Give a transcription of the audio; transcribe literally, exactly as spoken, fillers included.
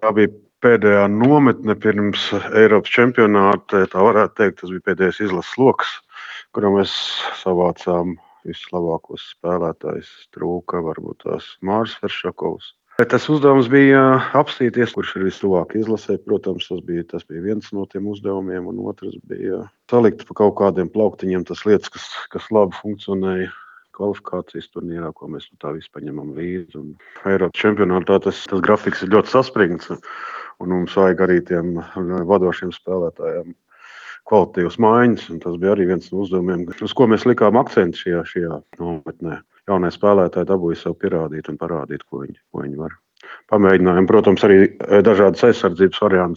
Tā bija pēdējā nometne pirms Eiropas čempionāta. Tā varētu teikt, tas bija pēdējais izlases loks, kurā mēs savācām vislabākos spēlētājus. Trūka varbūt tās Māris Veršakovs. Tas uzdevums bija apstīties, kurš ir vistuvāk izlasē. Protams, tas bija, tas bija viens no tiem uzdevumiem, un otrs bija salikt pa kaut kādiem plauktiņiem tas lietas, kas, kas labi funkcionēja kvalifikācijas turnīrā, ko mēs no tā visu paņemam līdzi. Un Eiropas čempionātā tas, tas grafiks ir ļoti saspringts, un mums vajag arī tiem vadošiem spēlētājiem kvalitatīvas maiņas. Tas bija arī viens no uzdevumiem, uz ko mēs likām akcentu šajā, šajā nometnē. Jaunie spēlētāji dabūja sev pierādīt un parādīt, ko viņi, ko viņi var. Pamēģinājām, protams, arī dažādas aizsardzības variantus